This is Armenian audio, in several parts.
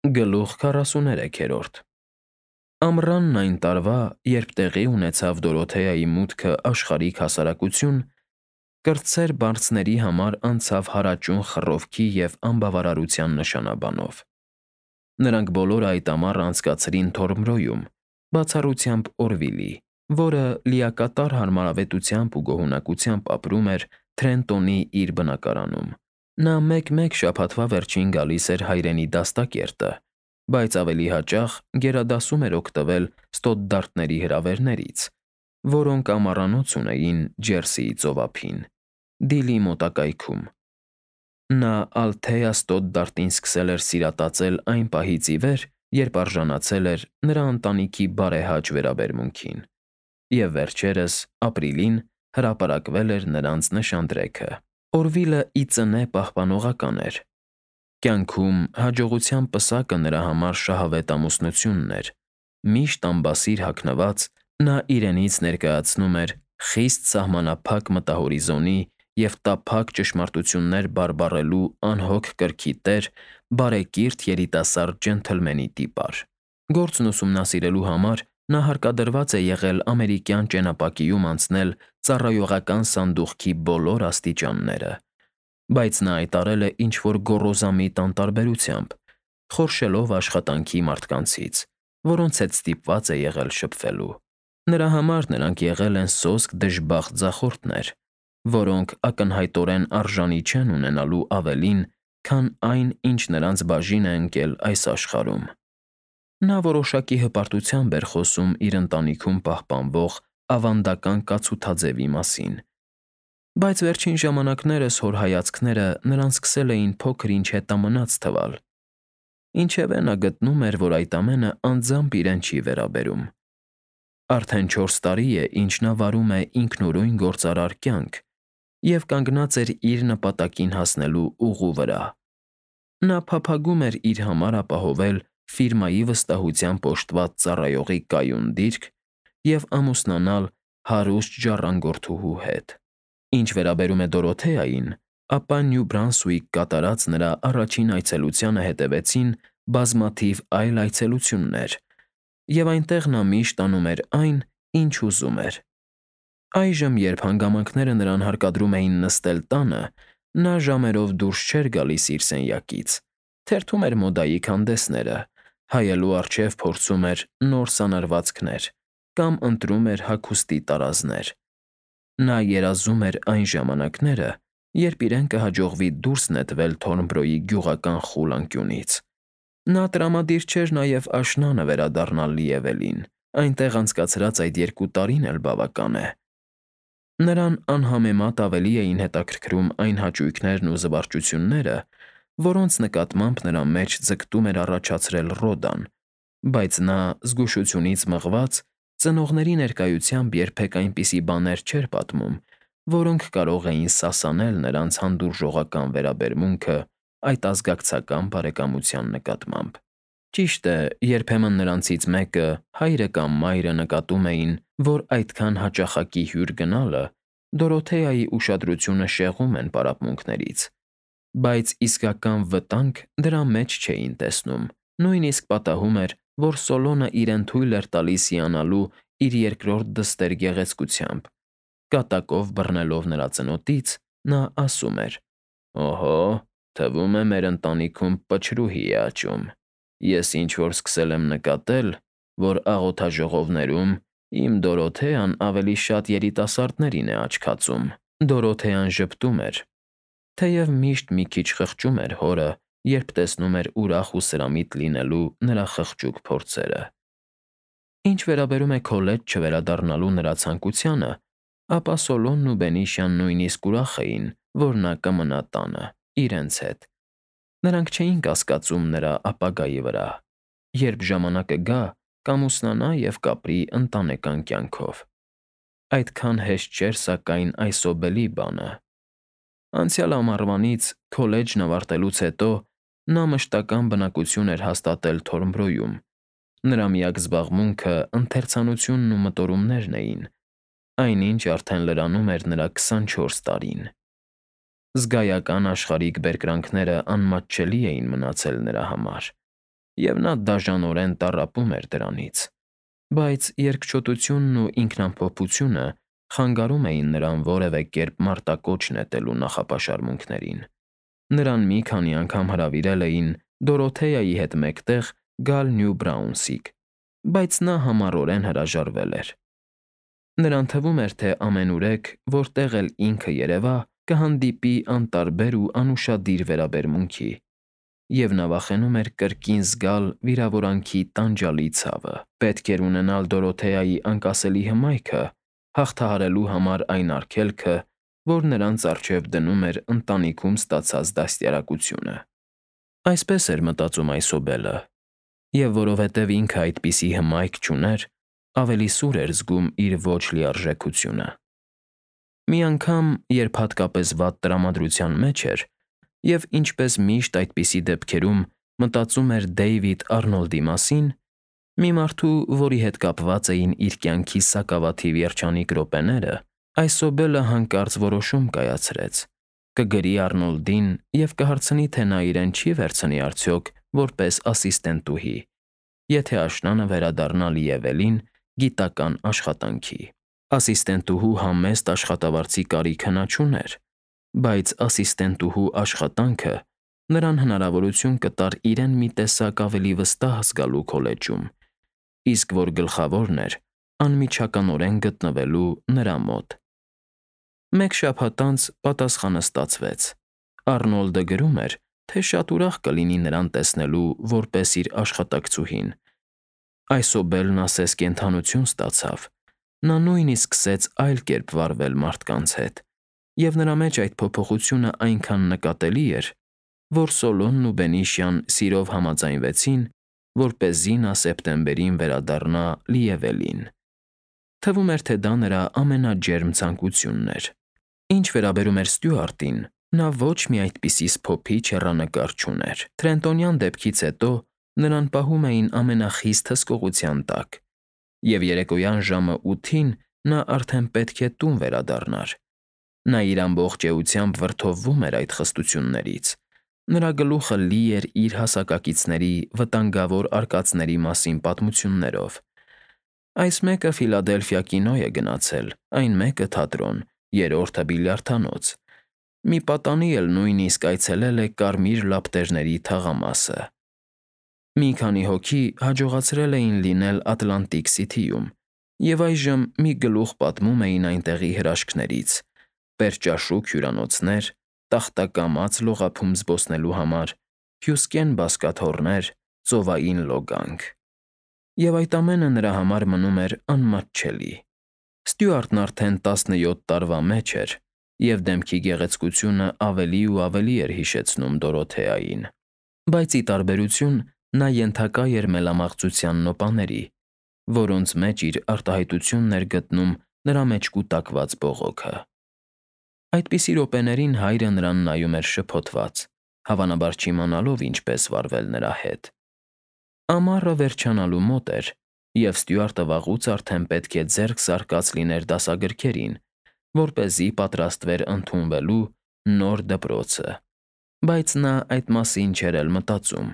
Գլուխ 43-րդ Ամռանն այն տարվա, երբ տեղի ունեցավ Դորոթեայի մուտքը աշխարհիկ հասարակություն, կրտսեր բարձների համար անցավ հարաճուն խռովքի և անբավարարության նշանաբանով։ Նրանք բոլորը այդ ամառը անցկացրին Թորմրոյում, բացառությամբ Օրվիլի, որը լիակատար հարմարավետությամբ ու գոհունակությամբ ապրում էր Թրենտոնի իր բնակարանում։ Նա մեկ-մեկ շաբաթվա վերջին գալիս էր հայրենի դաստակերտը, բայց ավելի հաճախ գերադասում էր օգտվել ստոդդարտների հրավերներից, որոնք ամառանոց ունեին Ջերսիի ծովափին, Դիլի մոտակայքում։ Նա Ալթեա ստոդդարտին սկսել էր սիրատացել այն պահից ի վեր, երբ արժանացել էր նրա ընտանիքի բարեհաճ վերաբերմունքին, և վերջերս, ապրիլին, հրապարակվել էր նրանց նշանդրեքը։ Օրվիլը ի ծնե պահպանողական էր։ Կյանքում հաջողության պսակը նրա համար շահավետ ամուսնությունն էր։ Միշտ ամբասիր հագնված՝ նա իրենից ներկայացնում էր խիստ սահմանափակ մտահորիզոնի և տափակ ճշմարտություններ բարբառելու անհոգ կրքի տեր, բարեկիրթ երիտասարդ ջենթլմենի տիպար։ Գործն ուսումնասիրելու համար նա հարկադրված է եղել ամերիկյան ճենապակիում անցնել ծառայողական սանդուղքի բոլոր աստիճանները, բայց նա այդ արել է ինչ-որ գոռոզամիտ անտարբերությամբ, խորշելով աշխատանքի մարդկանցից, որոնց հետ ստիպված է եղել շփվելու։ Նրա համար նրանք եղել են սոսկ դժբախտ ձախորդներ, որոնք ակնհայտորեն արժանի չեն ունենալու ավելին, քան այն, ինչ նրանց բաժին է ընկել այս աշխարհում։ Նա որոշակի հպարտությամբ էր խոսում իր ընտանիքում պահպանվող ավանդական կացութաձևի մասին, բայց վերջին ժամանակներս հոր հայացքները նրան սկսել էին փոքր-ինչ հետամնաց թվալ։ Ինչևէ նա գտնում էր, որ այդ ամենը անձամբ իրեն չի վերաբերում։ Արդեն 4 տարի է, ինչ նա վարում է ինքնուրույն գործարար կյանք և կանգնած էր իր նպատակին հասնելու ուղու վրա։ Նա փափագում էր իր համար ապահովել ֆիրմայի վստահությամբ օժտված ծառայողի կայուն դիրք և ամուսնանալ հարուստ ժառանգորդուհու հետ։ Ինչ վերաբերում է Դորոթեային, ապա Նյու Բրանսուիկ կատարած նրա առաջին այցելությանը հետևեցին բազմաթիվ այլ այցելություններ, և այնտեղ նա միշտ անում էր այն, ինչ ուզում էր։ Այժմ, երբ հանգամանքները նրան հարկադրում էին նստել տանը, նա ժամերով դուրս չէր գալիս իր սենյակից, թերթում էր մոդայի քանդեսները, հայելու առջև փորձում էր նոր սանրվածքներ կամ ընտրում էր հագուստի տարազներ։ Նա երազում էր այն ժամանակները, երբ իրեն կհաջողվի դուրս նետվել Թորնբրոյի գյուղական խուլ անկյունից։ Նա տրամադիր չէր նաև աշնանը վերադառնալ Լիևելին, այնտեղ անցկացրած այդ 2 տարին էլ բավական է։ Նրան անհամեմատ ավելի էին հետաքրքրում այն հաճույքներն ու զվարճությունները, որոնց նկատմամբ նրա մեջ ձգտում էր առաջացրել Ռոդան, բայց նա, զգուշությունից մղված, ծնողների ներկայությամբ երբեք այնպիսի բաներ չէր պատմում, որոնք կարող էին սասանել նրանց հանդուրժողական վերաբերմունքը այդ ազգակցական բարեկամության նկատմամբ։ Ճիշտ է, երբեմն նրանցից մեկը, հայրը կամ մայրը նկատում էին, որ այդքան հաճախակի հյուր գնալը Դորոթեայի ուշադրությունը շեղում են պարապմունքներից, բայց իսկական վտանգ դրա մեջ չէին տեսնում, նույնիսկ պատահում էր, որ Սոլոնը իրեն թույլ էր տալիս հիանալու իր երկրորդ դստեր գեղեցկությամբ։ Կատակով բռնելով նրա ծնոտից, նա ասում էր. «Օհո, թվում է մեր ընտանիքում պչրուհի է աճում։ Ես ինչ֊որ սկսել եմ նկատել, որ աղոթաժողովներում իմ Դորոթեան ավելի շատ երիտասարդներին է աչքացում»։ Դորոթեան ժպտում էր, թեև միշտ մի քիչ խղճում էր հորը, երբ տեսնում էր ուրախ ու սրամիտ լինելու նրա խղճուկ փորձերը։ Ինչ վերաբերում է քոլեջ չվերադառնալու նրա ցանկությանը, ապա Սոլոնն ու Բենիշյան նույնիսկ ուրախ էին, որ նա կմնա տանը, իրենց հետ։ Նրանք չէին կասկածում նրա ապագայի վրա։ Երբ ժամանակը գա, կամուսնանա և կապրի ընտանեկան կյանքով։ Այդքան հեշտ չէր, սակայն, այսօբելի բանը։ Անցյալ ամառվանից, քոլեջն ավարտելուց հետո, նա մշտական բնակություն էր հաստատել Թորնբրոյում։ Նրա միակ զբաղմունքը ընթերցանությունն ու մտորումներն էին, այնինչ արդեն լրանում էր նրա 24 տարին։ Զգայական աշխարհիկ բերկրանքները անմատչելի էին մնացել նրա համար։ և նա դաժանորեն տառապում էր դրանից, բայց երկչոտությունն ու ինքնամփոփությունը խանգարում էին նրան որևէ կերպ մարտակոչ նետելու նախապաշարմունքներին։ Նրան մի քանի անգամ հրավիրել էին Դորոթեայի հետ մեկտեղ գալ Նյու Բրաունսվիկ, բայց նա համառորեն հրաժարվել էր։ Նրան թվում էր, թե ամենուրեք, որտեղ էլ ինքը երևա, կհանդիպի անտարբեր ու անուշադիր վերաբերմունքի, և նա վախենում էր կրկին զգալ վիրավորանքի տանջալի ցավը։ Պետք էր ունենալ Դորոթեայի անկասելի հմայքը հաղթահարելու համար այն արգելքը, որ նրանց առջև դնում էր ընտանիքում ստացած դաստիարակությունը։ Այսպես էր մտածում Այսոբելը, և որովհետև ինքը այդպիսի հմայք չուներ, ավելի սուր էր զգում իր ոչ լիարժեքությունը։ Մի անգամ, երբ հատկապես վատ տրամադրության մեջ էր, և ինչպես միշտ այդպիսի դեպքերում մտածում էր Դեյվիդ Արնոլդի մասին, մի մարդու, որի հետ կապված էին իր կյանքի սակավաթիվ երջանիկ րոպեները, Այսոբելը հանկարծ որոշում կայացրեց. կգրի Արնոլդին և կհարցնի, թե նա իրեն չի վերցնի արդյոք որպես ասիստենտուհի, եթե աշնանը վերադառնա Լիևելին գիտական աշխատանքի։ Ասիստենտուհու համեստ աշխատավարձի կարիքը նա չուներ, բայց ասիստենտուհու աշխատանքը նրան հնարավորություն կտար իրեն մի տեսակ ավելի վստահ զգալու քոլեջում, իսկ որ գլխավորն էր, անմիջականորեն գտնվելու նրա մոտ։ Մեկ շաբաթ անց պատասխանը ստացվեց։ Արնոլդը գրում էր, թե շատ ուրախ կլինի նրան տեսնելու որպես իր աշխատակցուհին։ Այսոբելն ասես կենդանություն ստացավ։ Նա նույնիսկ սկսեց այլ կերպ վարվել մարդկանց հետ, և նրա մեջ այդ փոփոխությունը այնքան նկատելի էր, որ Սոլոմոնն ու Բենիշյան սիրով համաձայնվեցին, որպեսզի նա սեպտեմբերին վերադառնա Լիևելին։ Թվում էր, թե դա նրա ամենաջերմ ցանկությունն էր։ Ինչ վերաբերում էր Ստյուարտին, նա ոչ մի այդպիսի սփոփիչ հեռանկար չուներ։ Թրենտոնյան դեպքից հետո նրան պահում էին ամենախիստ հսկողության տակ, և երեկոյան ժամը 8-ին նա արդեն պետք է տուն վերադառնար։ Նա իր ամբողջ էությամբ վրդովվում էր այդ խստություններից։ Նրա գլուխը լի էր իր հասակակիցների վտանգավոր արկածների մասին պատմություններով։ Այս մեկը Ֆիլադելֆիա կինո է գնացել, այն մեկը թատրոն, երրորդը բիլիարդանոց։ Մի պատանի էլ նույնիսկ այցելել է Կարմիր Լապտերների թաղամասը։ Մի քանի հոգի հաջողացրել էին լինել Ատլանտիկ Սիթիում, և այժմ մի գլուխ պատմում էին այնտեղի հրաշքներից՝ պերճաշուք հյուրանոցներ, տախտակամաց լողափում զբոսնելու համար, հյուսկեն բազկաթոռներ, ծովային լոգանք։ Եվ այդ ամենը նրա համար մնում էր անմատչելի։ Ստյուարտն արդեն 17 տարվա մեջ էր, և դեմքի գեղեցկությունը ավելի ու ավելի էր հիշեցնում Դորոթեային։ Բայց ի տարբերություն նա ենթակա էր մելամաղձության նոպաների, որոնց մեջ իր արտահայտությունն էր գտնում նրա մեջ կուտակված բողոքը։ Այդպիսի րոպեներին հայրը նրան նայում էր շփոթված, հավանաբար չիմանալով ինչպես վարվել նրա հետ։ Ամառը վերջանալու մոտ էր, և Ստյուարտը վաղուց արդեն պետք է ձեռք զարկած լիներ դասագրքերին, որպեսզի պատրաստվեր ընդունվելու նոր դպրոցը, բայց նա այդ մասին չէր էլ մտածում։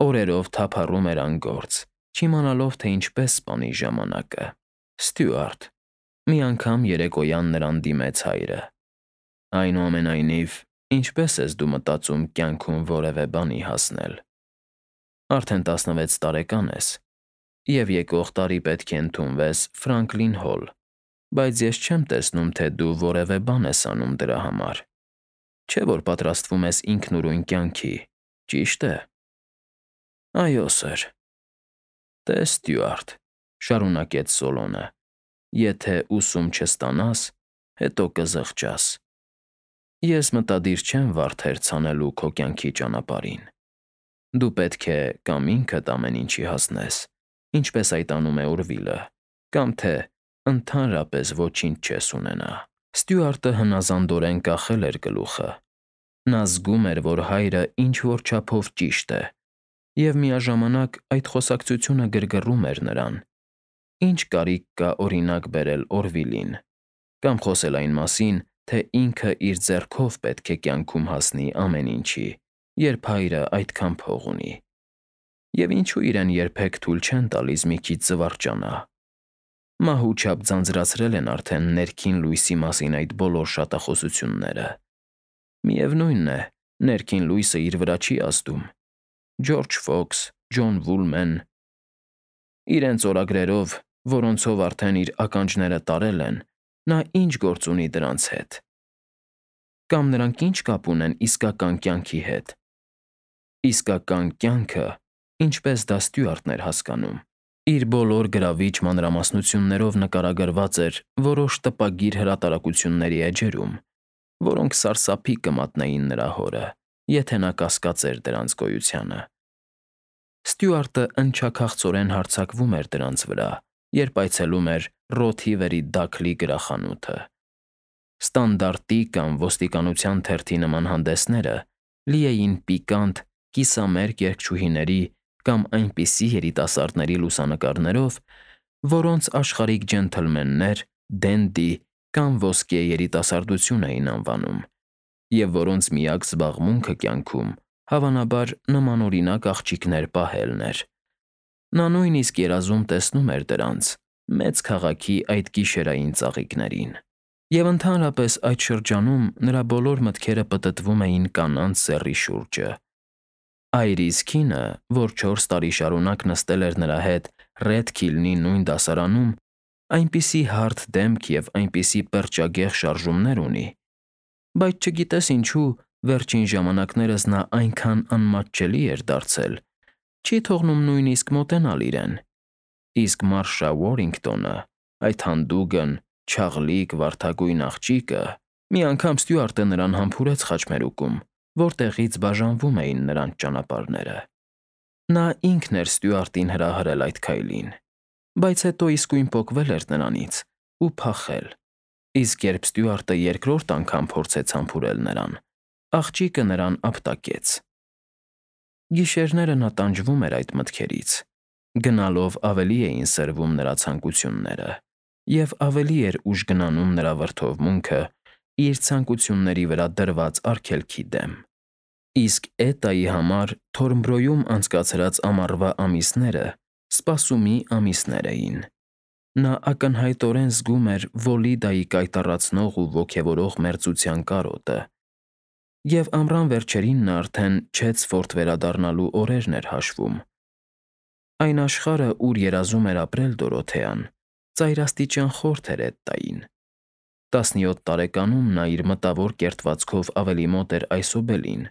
Օրերով թափառում էր անգործ, չիմանալով, թե ինչպես սպանի ժամանակը։ Ստյուարտ, մի անգամ երեկոյան նրան դիմեց հայրը։ Այնուամենայնիվ, ինչպե՞ս ես դու մտածում կյանքում որևէ բանի հասնել։ Արդեն 16 տարեկան ես, և եկող տարի պետք է ընդունվես Ֆրանկլին Հոլ, բայց ես չեմ տեսնում, թե դու որևէ բան ես անում դրա համար։ Չէ՞ որ պատրաստվում ես ինքնուրույն կյանքի, ճի՞շտ է։ Այո, սըր։ Տես, Ստյուարտ, շարունակեց Սոլոմոնը, եթե ուսում չստանաս, հետո կզղջաս։ Ես մտադիր չեմ վարդեր ցանելու քո կյանքի ճանապարհին։ Դու պետք է կամ ինքդ ամեն ինչի հասնես, ինչպես այդ անում է Օրվիլը, կամ թե ընդհանրապես ոչինչ չես ունենա։ Ստյուարտը հնազանդորեն կախել էր գլուխը։ Նա զգում էր, որ հայրը ինչ֊որ չափով ճիշտ է, և միաժամանակ այդ խոսակցությունը գրգռում էր նրան։ Ինչ կարիք կա օրինակ բերել Օրվիլին, կամ խոսել այն մասին, թե ինքը իր ձեռքով պետք է կյանքում հասնի ամեն ինչի, երբ հայրը այդքան փող ունի։ Եվ ինչու իրեն երբեք թույլ չեն տալիս մի քիչ զվարճանա։ Մահու չափ ձանձրացրել են արդեն ներքին լույսի մասին այդ բոլոր շատախոսությունները։ Միևնույն է, ներքին լույսը իր վրա չի ազդում։ Ջորջ Ֆոքս, Ջոն Վուլմեն, իրենց օրագրերով, որոնցով արդեն իր ականջները տարել են, նա ինչ գործ ունի դրանց հետ։ Կամ նրանք ինչ կապ ունեն իսկական կյանքի հետ։ Իսկական կյանքը, ինչպես դա Ստյուարտն էր հասկանում, իր բոլոր գրավիչ մանրամասնություններով նկարագրված էր որոշ տպագիր հրատարակությունների էջերում, որոնք սարսափի կմատնեին նրա հորը, եթե նա կասկածեր դրանց գոյությանը։ Ստյուարտը ընչաքաղցորեն հարձակվում էր դրանց վրա, երբ այցելում էր Ռոթհիվերի Դաքլի գրախանութը։ Ստանդարտի կամ ոստիկանության թերթի նման հանդեսները լի էին պիկանտ, կիսամերկ երգչուհիների կամ այնպիսի երիտասարդների լուսանկարներով, որոնց աշխարհիկ ջենթլմեններ, դենդի կամ ոսկե երիտասարդություն էին անվանում, և որոնց միակ զբաղմունքը կյանքում, հավանաբար, նմանօրինակ աղջիկներ պահելն էր։ Նա նույնիսկ երազում տեսնում էր դրանց՝ մեծ քաղաքի այդ գիշերային ծաղիկներին։ Եվ ընդհանրապես այդ շրջանում նրա բոլոր մտքերը պտտվում էին կանանց սեռի շուրջը։ Այրիս Քինը, որ 4 տարի շարունակ նստել էր նրա հետ Ռեդ Քիլնի նույն դասարանում, այնպիսի հարթ դեմք և այնպիսի պերճագեղ շարժումներ ունի, բայց չգիտես ինչու, վերջին ժամանակներս նա այնքան անմատչելի էր դարձել, չի թողնում նույնիսկ մոտենալ իրեն։ Իսկ Մարշա Ուորինգտոնը, այդ հանդուգն, չաղլիկ, վարդագույն աղջիկը, մի անգամ Ստյուարտը նրան համբուրեց խաչմերուկում, որտեղից բաժանվում էին նրանց ճանապարհները։ Նա ինքն էր Ստյուարտին հրահրել այդ քայլին, բայց հետո իսկույն պոկվել էր նրանից ու փախել։ Իսկ երբ Ստյուարտը երկրորդ անգամ փորձեց համբուրել նրան, աղջիկը նրան ապտակեց։ Գիշերները նա տանջվում էր այդ մտքերից։ Գնալով ավելի էին սրվում նրա ցանկությունները, և ավելի էր ուժ գնանում նրա վրդովմունքը իր ցանկությունների վրա դրված արգելքի դեմ։ Իսկ Էտայի համար Թորնբրոյում անցկացրած ամառվա ամիսները սպասումի ամիսներ էին։ Նա ակնհայտորեն զգում էր Վոլիդայի կայտառացնող ու ոգևորող մերձության կարոտը, և ամռան վերջերին նա արդեն Չեցֆորդ վերադառնալու օրերն էր հաշվում։ Այն աշխարհը, ուր երազում էր ապրել Դորոթեան, ծայրաստիճան խորթ էր Էտտային։ 17 տարեկանում նա իր մտավոր կերտվածքով ավելի մոտ էր Այսոբելին,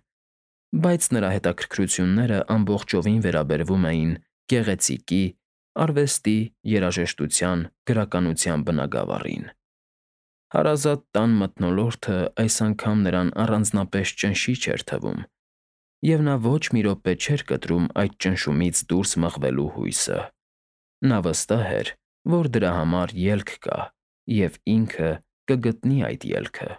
բայց նրա հետաքրքրությունները ամբողջովին վերաբերվում էին գեղեցիկի, արվեստի, երաժշտության, գրականության բնագավառին։ Հարազատ տան մթնոլորտը այս անգամ նրան առանձնապես ճնշիչ էր թվում, և նա ոչ մի րոպե չէր կտրում այդ ճնշումից դուրս մղվելու հույսը։ Նա վստահ էր, որ դրա համար ելք կա, և ինքը կգտնի այդ ելքը։